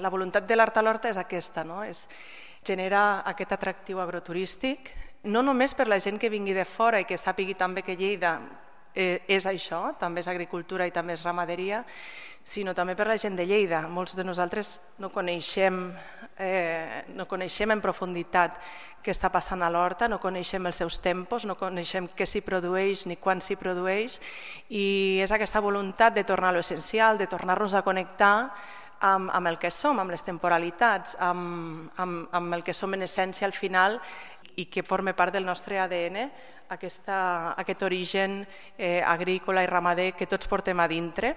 La voluntat de l'Art a l'Horta és aquesta, és generar aquest atractiu agroturístic, no només per la gent que vingui de fora i que sàpigui també que Lleida és això, també és agricultura i també és ramaderia, sinó també per la gent de Lleida. Molts de nosaltres no coneixem en profunditat què està passant a l'horta, no coneixem els seus tempos, no coneixem què s'hi produeix ni quan s'hi produeix, i és aquesta voluntat de tornar a l'essencial, de tornar-nos a connectar amb el que som, amb les temporalitats, amb el que som en essència al final i que forma part del nostre ADN, aquest origen agrícola i ramader que tots portem a dintre.